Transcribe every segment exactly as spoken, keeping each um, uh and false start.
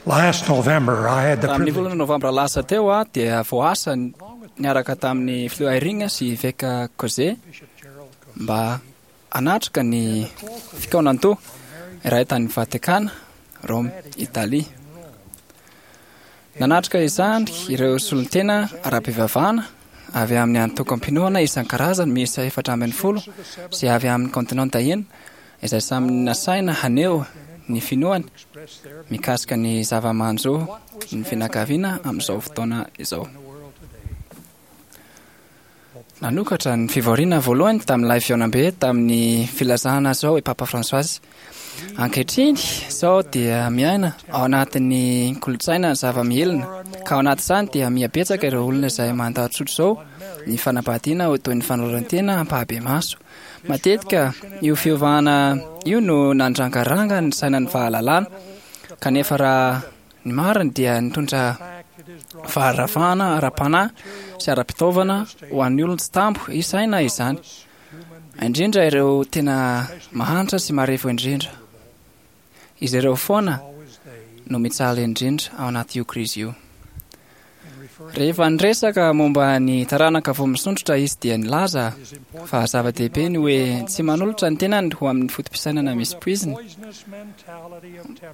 Last November, I had the Tamin'ny privilege volana novambra lasa teo aho dia voaasa niaraka tamin'ny filoha Eyring sy eveka Coze mba hanatrika ny fikaonantoha iray tany Vatikana, Rome, Italia. Nanatrika izany ireo solontena ara-pivavahana avy amin'ny antokom-pinoana isan-karazany miisa efatra ambin'ny folo sy avy amin'ny kontinenta enina izay samy nasaina haneho ny finoany mikasika ny zava-manjo ny fianakaviana amin'izao fotoana izao. Nanokatra ny fivoriana voalohany tamin'ilay fihaonambe tamin'ny filazana izao i Papa François. Ankehitriny izao dia miaina ao anatin'ny kolontsaina ny zava-mihelina, ka ao anatin'izany dia mihabetsaka ireo olona izay mandà tsotra izao ny fanambadiana ho toy ny fanoloran-tena ampahibemaso. Matetika io fiovana io no nandrangaranga ny sainan'ny fahalalana, kanefa raha ny marina dia nitondra faharavana ara-panahy sy ara-pitaovana ho an'ny olona tsy tambo isaina izany, indrindra ireo tena mahantra sy marefo indrindra. Izy ireo foana no mijaly indrindra ao anaty io krizy io. Rehefa niresaka momba ny taranaka vao misondrotra izy dia nilaza fa zava-dehibe ny hoe tsy manolotra ny tenany ho amin'ny foto-pisainana misy poizina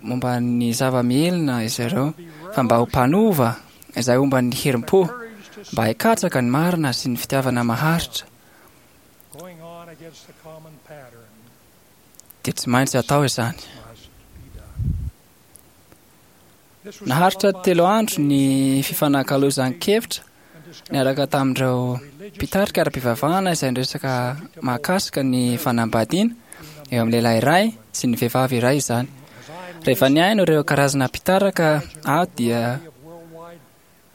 momba ny zava-mihelina izy ireo, fa mba ho mpanova izay homba ny herim-po mba hikatsaka ny marina sy ny fitiavana maharitra going on against the common pattern dia tsy maintsy atao izany. must be done. This was Naharitra followed by telo andro ny fifanakalozan-kevitra and discussion niaraka tamin'ireo mpitarika ara-pivavahana izay niresaka mahakasika ny fanambadiana eo amin'ny lehilahy iray sy ny vehivavy iray izany. as I Rehefa nihaino ireo karazana mpitaraka aho dia of worldwide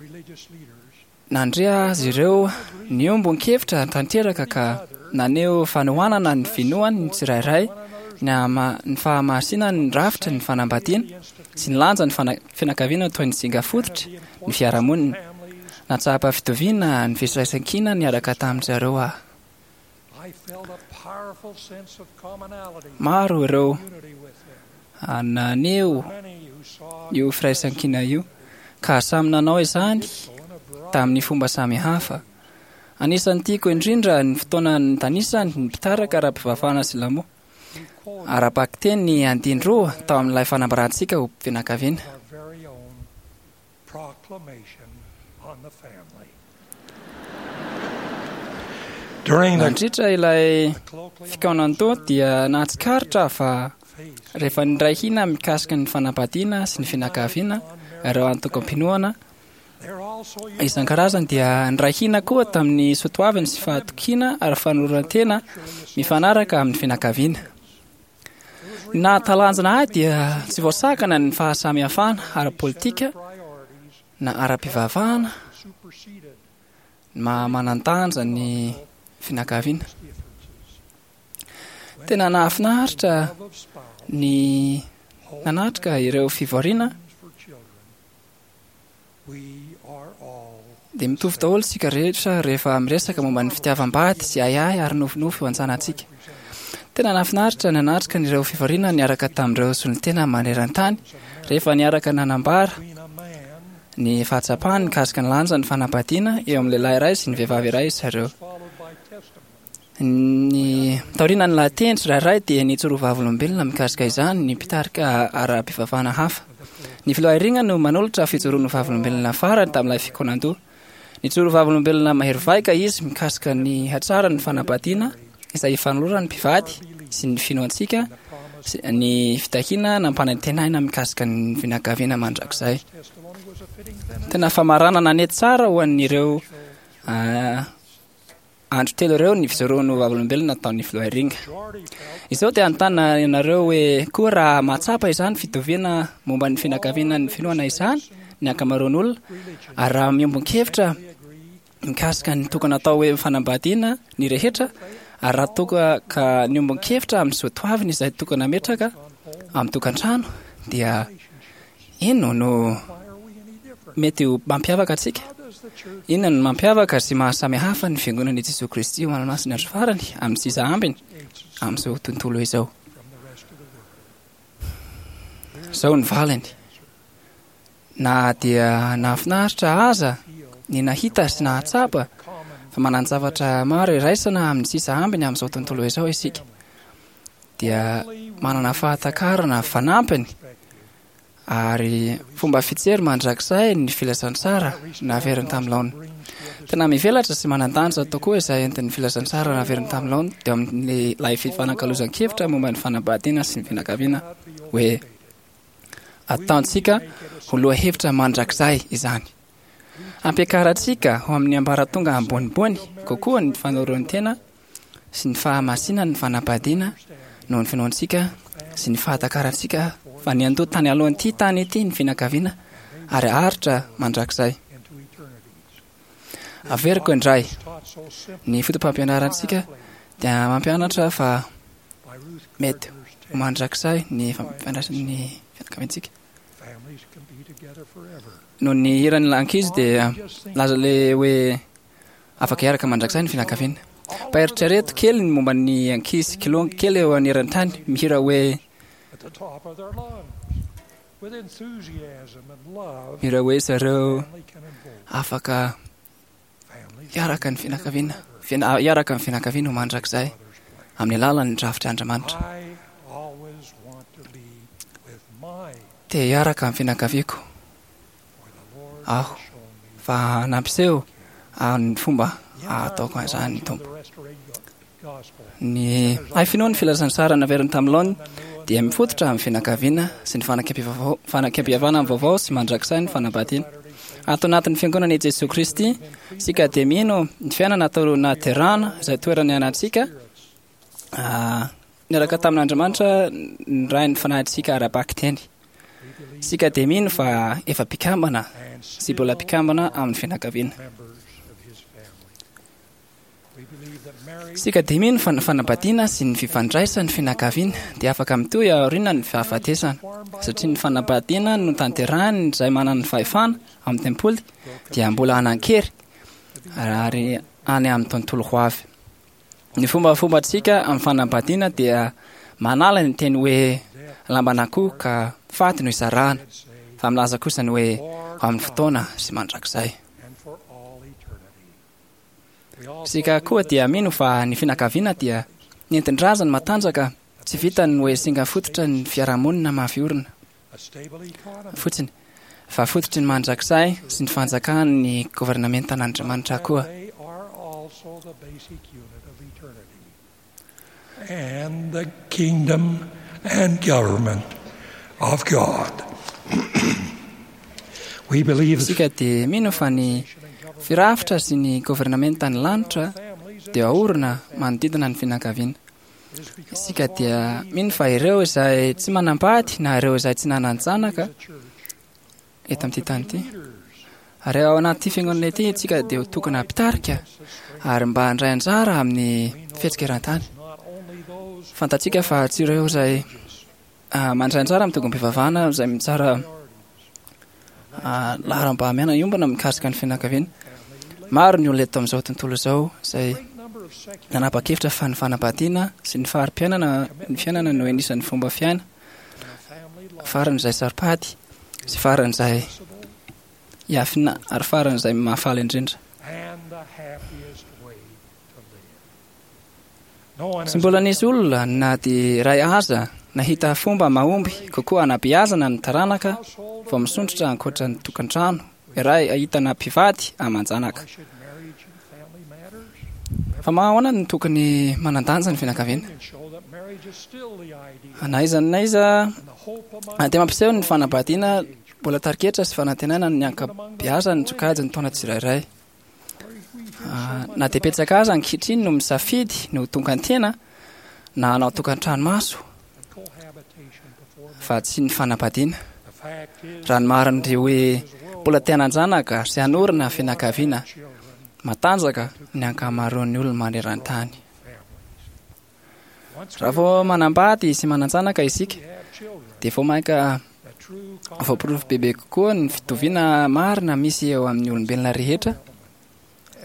religious leaders nandre azy ireo niombon-kevitra tanteraka ka naneho fanohanana ny finoany ny tsirairay, ny hama- ny fahamasinany ny rafitry ny fanambadiana sy ny lanjan'ny fana- fianakaviana toy ny singa fototry ny fiarahamonina. families Natsapa fitoviana ny firaisankina niaraka tamin-dry zareo aho. I felt a powerful sense of commonality Maro ireo unity with them. naneho Many who saw io firaisankina io ka samy nanao izany so in a broad tamin'ny fomba samy hafa. Anisan'ny tiako indrindra ny fotoana nitanisany ny mpitaraka ara-pivavahana silamo. Ara-bakiteny ny andiny roa tao amin'ilay fanambarantsika ho fianakaviana. our very own proclamation on the family. During the Nandritra ilay colloquial fikaonantoha dia nahatsikaritra fa faith rehefa niray hina mikasika ny fanambadiana sy ny fianakaviana ireo antokom-pinoana they're also isan-karazany dia niray hina koa tamin'ny soatoaviny sy fahatokiana ary fanoloran-tena mifanaraka amin'ny fianakaviana. Ny nahatalanjona ahy dia tsy voasakana ny fahasamihafana ara-politika priorities na ara-pivavahana superseded ny maha-manan-danja ny fianakaviana. differences. Tena nahafinaritra Love of spouse, ny nanatrika ireo fivoriana for children. We are all dia mitovy daholo isika rehetra rehefa miresaka momba ny fitiavam-bady sy ahiahy ary nofinofy ho an-tsanantsika. Tena nahafinaritra nanatrika ireo fivoriana niaraka tamin'ireo solontena maneran-tany rehefa niaraka nanambara between a man ny fahatsapany mikasika ny lanjan'ny fanambadiana eo amin'ny lehilahy iray sy ny vehivavy iray izy ireo. followed by testimony Ny taorian'ny lahateny tsirairay dia nijoro vavolombelona mikasika izany ny mpitarika ara-pivavahana hafa. Ny filoha Eyring no manolotra fijoroana vavolombelona farany tamin'ilay fikaonandoha. Nijoro vavolombelona mahery vaika izy mikasika ny hatsaran'ny fanambadiana izay ifanoloran'ny mpivady sy ny finoantsika sy ny fitahiana nampanantenaina mikasika ny fianakaviana mandrakizay. testimony was a fitting benefit Tena famaranana nety tsara ho an'ireo ah, andro telo ireo ny fijoroan'ny vavolombelona nataon'ny filoha Eyring. majority felt Izao dia anontany ianareo hoe koa raha mahatsapa izany fitoviana momba ny fianakaviana ny finoana izany ny ankamaroan'olona ary raha miombon-kevitra agree mikasika ny tokony atao hoe fanambadiana ny rehetra ary raha toka ka niombon-kevitra amin'ny soatoaviny izay tokony hametraka amin'ny tokantrano dia inona no why are we any different? mety ho mampiavaka antsika? How does the church Inona no mampiavaka sy mahasamihafa ny fiangonana i Jesoa Kristy ho an'ny andro farany amin'ny sisa ambiny amin'izao tontolo izao? from the rest of the world? Izao ny valiny. Na dia nahafinaritra aza ny nahita sy nahatsapa fa manan-javatra maro iraisana amin'ny sisa ambiny amin'izao tontolo izao isika, dia manana fahatakarana fanampiny ary fomba fijery mandrakizay ny filazantsara naveriny tamin'ny laoniny. Tena mivelatra sy manan-danja tokoa izay entin'ny filazantsara naveriny tamin'ny laoniny teo amin'ilay fifanakalozan-kevitra momba ny fanambadiana sy ny fianakaviana hoe ataontsika ho lohahevitra mandrakizay izany. Ampiakarantsika ho amin'ny ambaratonga ambonimbony kokoa ny fanoroan-tena sy ny fahamasinan'ny fanambadiana noho ny finoantsika sy ny fahatakarantsika fa niandoha tany alohan'ity tany ity ny fianakaviana ary haharitra mandrakizay. Into eternities. Averiko indray, Taught so simply ny foto-pampianarantsika dia mampianatra fa by Ruth mety Gardner's ho text, mandrakizay ny fampifandraisan'ny fianakaviantsika. Families can be together forever. Noho ny hiran'ny ankizy dia laza le hoe afaka hiaraka mandrakizay ny fianakaviana. Mba eritrereto kely ny momba ny ankizy kilonga kely eo aneran-tany mihira hoe At the top of their lungs, with enthusiasm and love, mihira hoe zareo family can invoke. afaka Families hiaraka ny can be fianakaviana together fiana- hiaraka ny fianakaviana ho mandrakizay forever. Father's plan. amin'ny alalan'ny drafitr'Andriamanitra. I always want to be with my Te hiaraka amin'ny fianakaviako for the Lord aho has shown me fa nampiseho ny fomba The ataoko an'izany ny theology of Tompo. the restored gospel. Ny hay finoan'ny filazantsara naveriny tamin'ny laoniny dia mifototra amin'ny fianakaviana sy ny fanekempiavao- fanekempihavanana vaovao sy mandrakizay ny fanambadiana. Ato anatin'ny fiangonana i Jesoa Kristy, isika dia mino ny fiainana atao naterahana izay toerana ianantsika ah, niaraka tamin'Andriamanitra ny Rain'ny fanahintsika ara-bakiteny. We believe Isika dia mino fa efa mpikambana and sy mbola still mpikambana amin'ny fianakaviana. members of his family. We believe that marriage Isika dia mino fa ny fanambadiana sy ny fifandraisan'ny fianakaviana dia afaka mitohy aorian'ny fahafatesana, satria ny fanambadiana no tanterahiny izay manana ny fahefana amin'ny tempoly dia mbola hanan-kery ary any amin'ny tontolo ho avy. Ny fombafombantsika amin'ny fanambadiana dia manala ny teny hoe lamban'akoho ka faty no isarahana, say fa milaza kosa ny hoe ho amin'ny fotoana sy mandrakizay. and for all eternity. We also Isika koa dia mino fa ny fianakaviana dia nentin-drazany matanjaka tsy vitany hoe singa fototra ny fiarahamonina mafy orina a stable economy fotsiny, fa fototry ny mandrakizay sy ny fanjakan'ny governementan'Andriamanitra koa. They are also the basic unit of eternity and the kingdom and government of God. We believe Isika dia mino fa ny firafitra sy ny governementan'ny lanitra dia aorina manodidina ny fianakaviana. Isika dia mino fa ireo izay tsy manambady na ireo izay tsy nanan-janaka eto amin'ity tany ity, ary ao anaty fiangonana ity isika dia ho tokony hampitarika ary mba handray anjara amin'ny fihetsika eran-tany. not only those Fantatsika fa tsy ireo izay ah, mandray anjara amin'ny tongom-pivavahana izay mitsara ah, laharam-pahamehana iombona mikasika ny fianakaviana. Maro ny olona eto amin'izao tontolo izao izay great number of secular nanapa-kevitra fa ny fanambadiana sy ny fari-piainana ny fiainana no anisan'ny fomba fiaina family life faran'izay saro-pady sy faran'izay iafina ary faran'izay mahafaly indrindra. and the happiest way to live. No one Tsy has mbola nisy olona na dia iray aza nahita fomba mahomby kokoa hanabeazana ny taranaka household vao misondrotra ankoatra ny tokantrano iray ahitana mpivady aman-janaka. Why should marriage and family matters? Fa mahahoana no tokony manan-danja ny fianakaviana? And show that marriage is still the ideal Na aiza na aiza and the hope among dia mampiseho ny fanambadiana mbola tariketra sy fanantenana ny ankabeazan'ny sokajin'ny taona tsirairay. Ah, na dia betsaka aza ankehitriny no misafidy no ho tonga-tena na hanao tokantrano maso and cohabitation before fa tsy ny fanambadiana. the fact is Raha ny marina dia hoe mbola te hanan-janaka sy hanorina fianakaviana children matanjaka ny ankamaroan'ny olona maneran-tany. families. Once Raha vao manambady sy manan-janaka isika we have children, dia vao mainka the true voaporofo bebe kokoa ny fitoviana marina misy eo amin'ny olombelona rehetra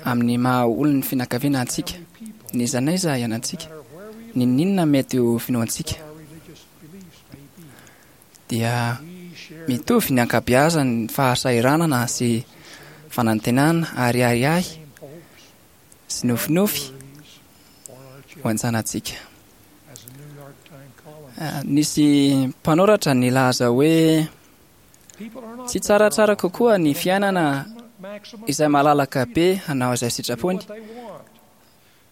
amin'ny maha olon'ny fianakaviana antsika, people, n'iza n'aiza ianantsika, no matter where we n'inon'inona mety ho finoantsika our religious beliefs may be, dia we Mitovy ny ankabeazan'ny fahasahiranana sy fanantenana ary ahiahy sy nofinofy ho an-janatsika. Nisy mpanoratra nilaza hoe tsy tsaratsara kokoa ny fiainana izay malalaka be hanao izay sitrapony,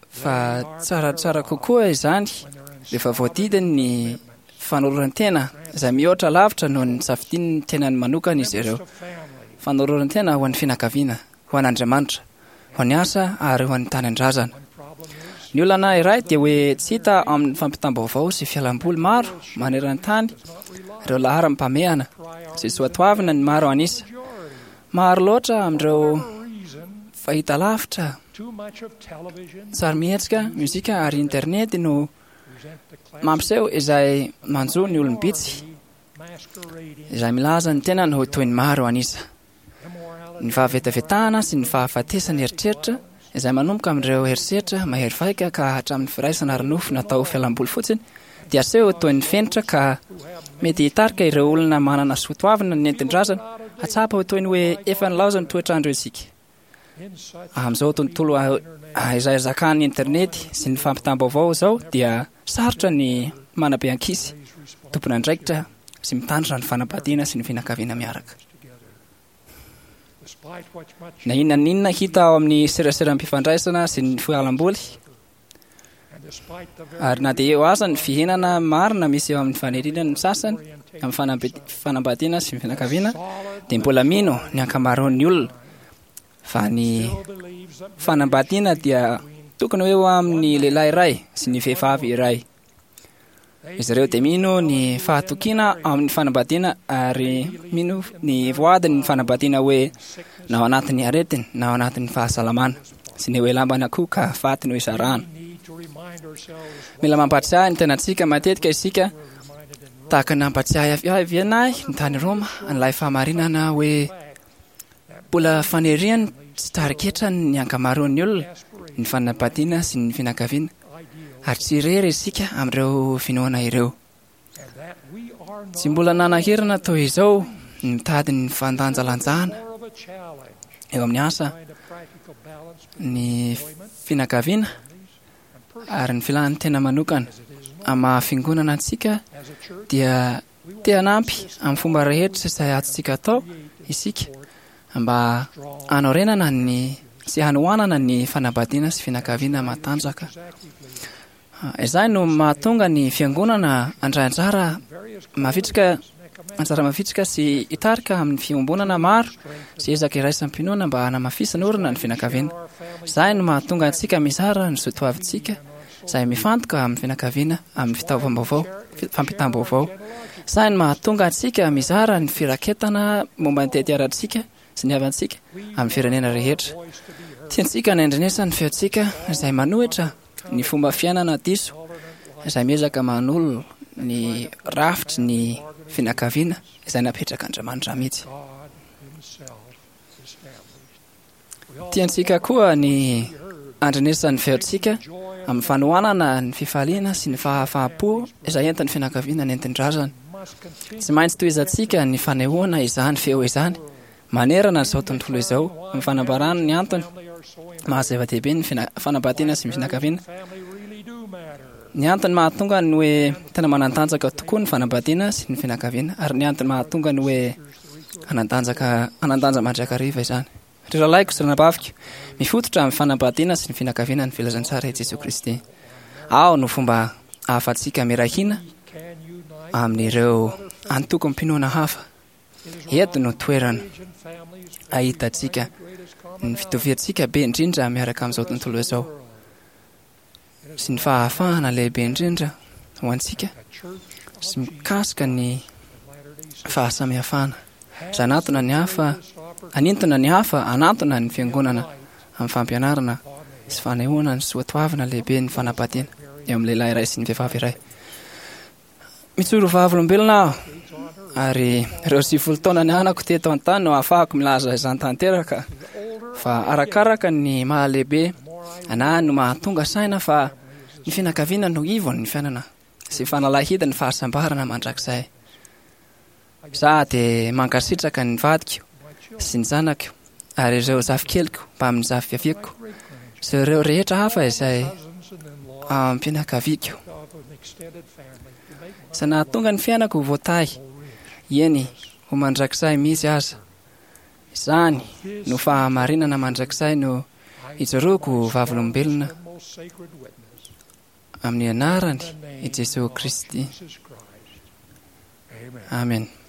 fa tsaratsara kokoa izany rehefa voadidiny ny fanoloran-tena izay mihoatra lavitra noho ny safidian'ny tenany manokana izy ireo. Fanoloran-tena ho an'ny fianakaviana, ho an'Andriamanitra, ho an'ny asa ary ho an'ny tanindrazana. Ny olana iray dia hoe tsy hita amin'ny fampitam-baovao sy fialamboly maro maneran-tany ireo laharam-pahamehana sy soatoavina ny maro an'isa. Maro loatra amin'ireo fahita lavitra, sarimihetsika, mozika ary internet no mampiseho izay manjo ny olom-bitsy izay milaza ny tenany ho toy ny maro an'isa. Ny fahavetavetahana sy ny fahafatesana eritreritra izay manomboka amin'ireo herisetra mahery vaika ka hatramin'ny firaisana ara-nofo natao fialamboly fotsiny dia aseho toy ny fenitra ka mety hitarika ireo olona manana soatoavina nentin-drazana hatsapa ho toy ny hoe efa nilaozan'ny toetrandro isika. Amin'izao tontolo izay zakan'ny internet sy ny fampitam-baovao izao dia sarotra ny manabe ankizy tompon'andraikitra sy mitandrina ny fanambadiana sy ny fianakaviana miaraka. Na inona na inona hita ao amin'ny seraseram-pifandraisana sy ny fialamboly, ary na dia eo aza ny fihenana marina misy eo amin'ny faniriana ny sasany amin'ny fanambadiana sy ny fianakaviana, dia mbola mino ny ankamaroan'ny olona fa ny fanambadiana dia tokony ho eo amin'ny lehilahy iray sy ny vehivavy iray. Izy ireo dia mino ny fahatokiana amin'ny fanambadiana ary mino ny voadin'ny fanambadiana hoe na ao anatin'ny aretina na ao anatin'ny fahasalamana sy ny hoe lambana koa ka faty no isarahana. Mila mampatsiahy ny tenantsika matetika isika, tahaka ny nampatsiahy avy ahy ny tany Roma an'ilay fahamarinana hoe mbola faniriany tsy tariketra ny ankamaroan'ny olona ny fanambadiana sy ny fianakaviana, ary tsy irery isika amin'ireo finoana ireo. Tsy mbola nanahirana toy izao ny mitady ny fandanjalanjana eo amin'ny asa, ny fianakaviana ary ny filan'ny tena manokana. Amin'ny maha fiangonana antsika dia te hanampy amin'ny fomba rehetra izay azontsika atao isika mba hanorenana ny sy hanohanana ny fanambadiana sy fianakaviana matanjaka. Izay no mahatonga ny fiangonana handray anjara mavitrika, anjara mavitrika sy hitarika amin'ny fiombonana maro sy ezaka iraisam-pinoana mba hanamafisana orina ny fianakaviana. Izay no mahatonga antsika mizara ny soatoavintsika izay mifantoka amin'ny fianakaviana amin'ny fitaovam-baovao, fampitam-baovao. Izay no mahatonga antsika mizara ny firaketana momba ny tetiarantsika sy ny havantsika amin'ny firenena rehetra. Tiantsika ny handrenesana ny feontsika izay manohitra ny fomba fiainana diso izay miezaka manolo ny rafitry ny fianakaviana izay napetrak'Andriamanitra mihitsy. Tiantsika koa ny handrenesana ny feontsika amin'ny fanohanana ny fifaliana sy ny fahafahampo izay entin'ny fianakaviana nentin-drazana. Tsy maintsy tohizantsika ny fanehoana izany feo izany manerana izao tontolo izao amin'ny fanambarana ny antony maha zava-dehibe ny fanambadiana sy ny fianakaviana. Ny antony mahatonga ny hoe tena manan-tanjaka tokoa ny fanambadiana sy ny fianakaviana, ary ny antony mahatonga ny hoe hanan-tanjaka, hanan-danja mandrakariva izany. Ry rahalahiko sy ranabaviko, mifototra amin'ny fanambadiana sy ny fianakaviana ny filazantsara i Jesoa Kristy. Ao no fomba ahafahantsika miray hina amin'ireo antokom-pinoana hafa. Eto no toerana ahitantsika ny fitoviantsika be indrindra miaraka amin'izao tontolo izao sy ny fahafahana lehibe indrindra ho antsika sy mikasika ny fahasamihafana. Izay hanatona ny hafa, hanintona ny hafa, hanantona ny fiangonana amin'ny fampianarana sy fanehoana ny soatoavina lehibe ny fanambadiana eo amin'ny lehilahy iray sy ny vehivavy iray. Mijoro vavolombelona aho ary ireo sivifolo taona nianako teto an-tany no ahafahako milaza izany tanteraka, fa arakaraka ny mahalehibe anahy no mahatonga saina fa ny fianakaviana no ivon'ny fiainana sy fanalahidin'ny fahasambarana mandrakizay. Za dia mankasitraka ny vadiko sy ny zanako ary ireo zafikeliko mbamin'ny zafiaviako sy ireo rehetra hafa izay ampianakaviako izay nahatonga ny fiainako ho voatahy, eny, ho mandrakizay mihitsy aza. Izany no fahamarinana mandrakizay no ijoroako ho vavolombelona amin'ny anarany i Jesosy Kristy. Amen.